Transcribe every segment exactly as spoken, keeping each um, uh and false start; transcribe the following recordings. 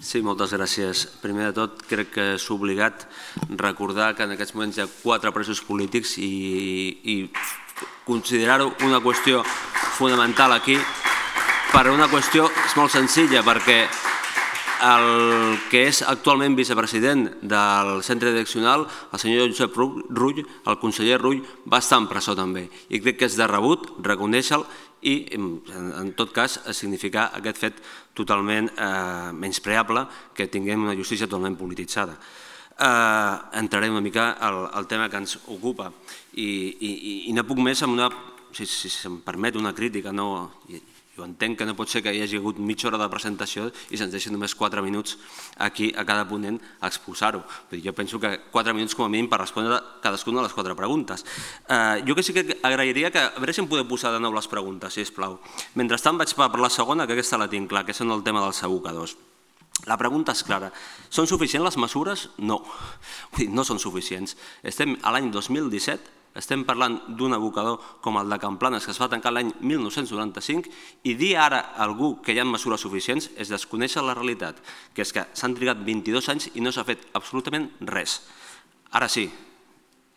Sí, moltes gràcies. Primer de tot, crec que és obligat recordar que en aquests moments hi ha quatre presos polítics i considerar-ho una qüestió fonamental aquí per una qüestió molt senzilla, perquè el que és actualment vicepresident del centre direccional, el senyor Josep Rull, el conseller Rull, va estar en presó també. I crec que és de rebut reconèixer-lo i, en tot cas, significar aquest fet totalment menyspreable que tinguem una justícia totalment polititzada. Entraré una mica al tema que ens ocupa i no puc més amb una, si se'm permet, una crítica. Jo entenc que no pot ser que hi hagi hagut mitja hora de presentació i se'ns deixin només quatre minuts aquí a cada ponent a exposar-ho. Jo penso que quatre minuts com a mínim per respondre cadascuna de les quatre preguntes. Jo que sí que agrairia que, a veure si em podeu posar de nou les preguntes, sisplau. Mentrestant vaig per la segona, que aquesta la tinc clar, que és el tema dels abocadors. La pregunta és clara. Són suficients les mesures? No. No són suficients. Estem a l'any dos mil disset, estem parlant d'un abocador com el de Can Planas que es va tancar l'any mil nou-cents noranta-cinc i dir ara a algú que hi ha mesures suficients és desconèixer la realitat, que és que s'han trigat vint-i-dos anys i no s'ha fet absolutament res. Ara sí,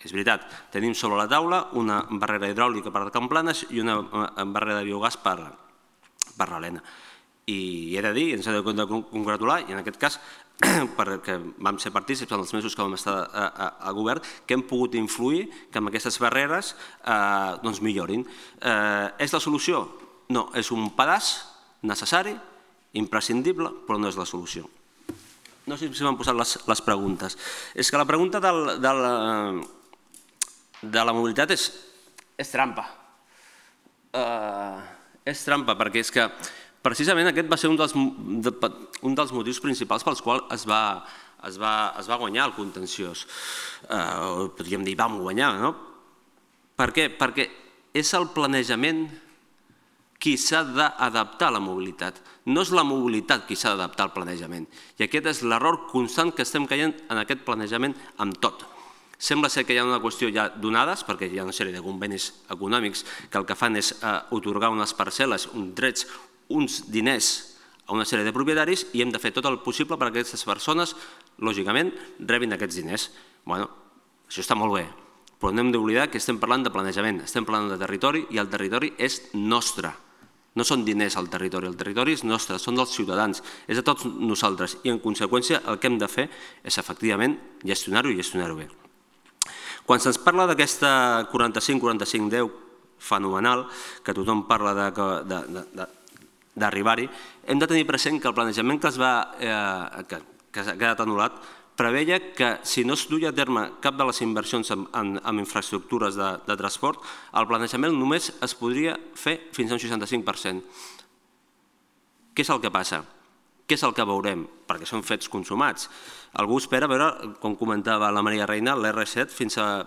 és veritat, tenim sobre la taula una barrera hidràulica per Can Planas i una barrera de biogàs per l'Elena. I he de dir, ens hem de congratular, i en aquest cas, perquè vam ser partícips en els mesos que vam estar al govern, que hem pogut influir que amb aquestes barreres millorin. És la solució? No, és un pedaç necessari, imprescindible, però no és la solució. No sé si m'han posat les preguntes. És que la pregunta de la mobilitat és trampa. És trampa, perquè és que precisament aquest va ser un dels motius principals pels quals es va guanyar el contenciós. Podríem dir, vam guanyar, no? Per què? Perquè és el planejament qui s'ha d'adaptar a la mobilitat. No és la mobilitat qui s'ha d'adaptar al planejament. I aquest és l'error constant que estem caient en aquest planejament amb tot. Sembla ser que hi ha una qüestió ja donades, perquè hi ha una sèrie de convenis econòmics que el que fan és atorgar unes parcel·les, uns drets, uns diners a una sèrie de propietaris i hem de fer tot el possible perquè aquestes persones, lògicament, rebin aquests diners. Bé, això està molt bé, però no hem d'oblidar que estem parlant de planejament, estem parlant de territori i el territori és nostre. No són diners al territori, el territori és nostre, són dels ciutadans, és de tots nosaltres i en conseqüència el que hem de fer és efectivament gestionar-ho i gestionar-ho bé. Quan se'ns parla d'aquesta quaranta-cinc quaranta-cinc deu fenomenal, que tothom parla de d'arribar-hi, hem de tenir present que el planejament que ha quedat anul·lat preveia que si no es duia a terme cap de les inversions en infraestructures de transport, el planejament només es podria fer fins a un seixanta-cinc per cent. Què és el que passa? Què és el que veurem? Perquè són fets consumats. Algú espera veure, com comentava la Maria Reina, l'R set fins al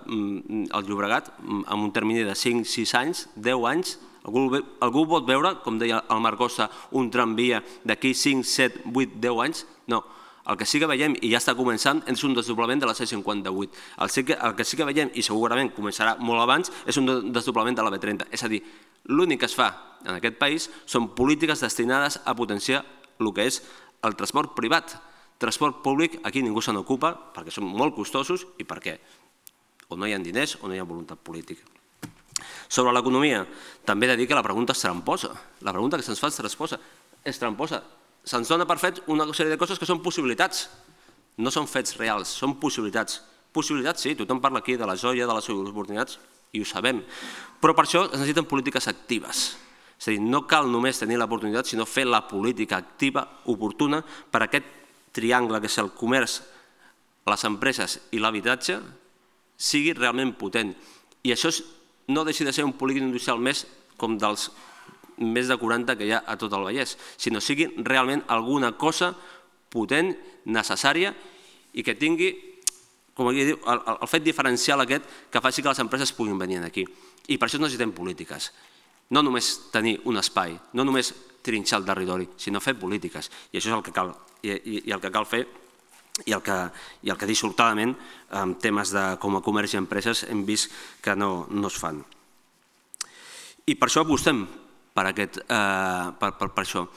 Llobregat amb un termini de cinc sis anys, deu anys. Algú pot veure, com deia el Marc Costa, un tramvia d'aquí cinc, set, vuit, deu anys? No. El que sí que veiem, i ja està començant, és un desdoblament de la C cinquanta-vuit. El que sí que veiem, i segurament començarà molt abans, és un desdoblament de la B trenta. És a dir, l'únic que es fa en aquest país són polítiques destinades a potenciar el que és el transport privat. Transport públic, aquí ningú se n'ocupa, perquè són molt costosos i perquè o no hi ha diners o no hi ha voluntat política. Sobre l'economia, també he de dir que la pregunta és tramposa. La pregunta que se'ns fa és tramposa. Se'ns dona per fet una sèrie de coses que són possibilitats. No són fets reals, són possibilitats. Possibilitats, sí, tothom parla aquí de la joia, de les oportunitats, i ho sabem. Però per això es necessiten polítiques actives. És a dir, no cal només tenir l'oportunitat, sinó fer la política activa, oportuna, per aquest triangle que és el comerç, les empreses i l'habitatge, sigui realment potent. I això no deixi de ser un polígon industrial més com dels més de quaranta que hi ha a tot el Vallès, sinó sigui realment alguna cosa potent, necessària i que tingui, com diu, el fet diferencial aquest que faci que les empreses puguin venir aquí. I per això necessitem polítiques. No només tenir un espai, no només trinxar el territori, sinó fer polítiques. I això és el que cal, i el que cal fer i el que dissortadament en temes com a comerç i empreses hem vist que no es fan. I per això apostem per això.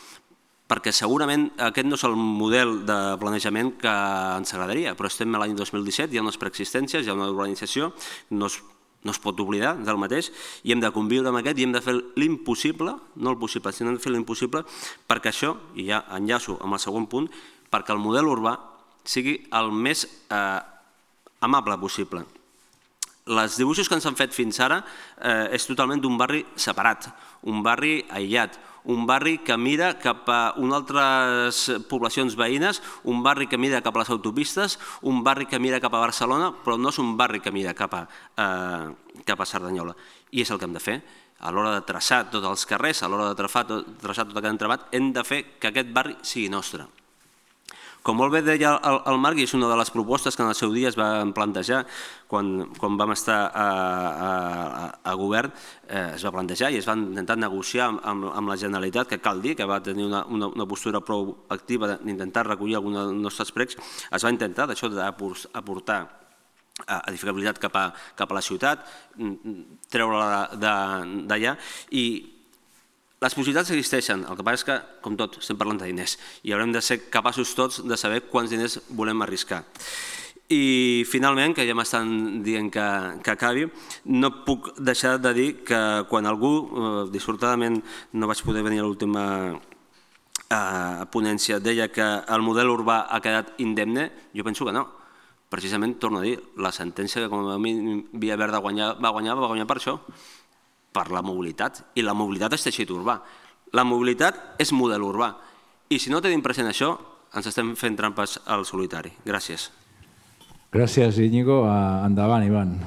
perquè segurament aquest no és el model de planejament que ens agradaria, però estem a l'any dos mil disset, hi ha unes preexistències, hi ha una urbanització, no es no es pot oblidar del mateix, i hem de conviure amb aquest i hem de fer l'impossible, no el possible, sinó hem de fer l'impossible perquè això, i ja enllaço amb el segon punt, perquè el model urbà sigui el més amable possible. Els dibuixos que ens han fet fins ara és totalment d'un barri separat, un barri aïllat, un barri que mira cap a unes altres poblacions veïnes, un barri que mira cap a les autopistes, un barri que mira cap a Barcelona, però no és un barri que mira cap a Cerdanyola. I és el que hem de fer. A l'hora de traçar tots els carrers, a l'hora de traçar tot aquest entramat, hem de fer que aquest barri sigui nostre. Com molt bé deia el Marc, i és una de les propostes que en el seu dia es van plantejar quan vam estar a govern, es va plantejar i es va intentar negociar amb la Generalitat, que cal dir que va tenir una postura prou activa d'intentar recollir alguns dels nostres pregs, es va intentar d'això d'aportar edificabilitat cap a la ciutat, treure-la d'allà, i les possibilitats existeixen, el que passa és que, com tot, estem parlant de diners i haurem de ser capaços tots de saber quants diners volem arriscar. I finalment, que ja m'estan dient que acabi, no puc deixar de dir que quan algú, dissortadament no vaig poder venir a l'última ponència, deia que el model urbà ha quedat indemne, jo penso que no. Precisament, torno a dir, la sentència que com a mínim Via Verda va guanyar, va guanyar per això, per la mobilitat, i la mobilitat és teixit urbà. La mobilitat és model urbà, i si no tenim present això, ens estem fent trampes al solitari. Gràcies. Gràcies, Íñigo. Endavant, Ivan.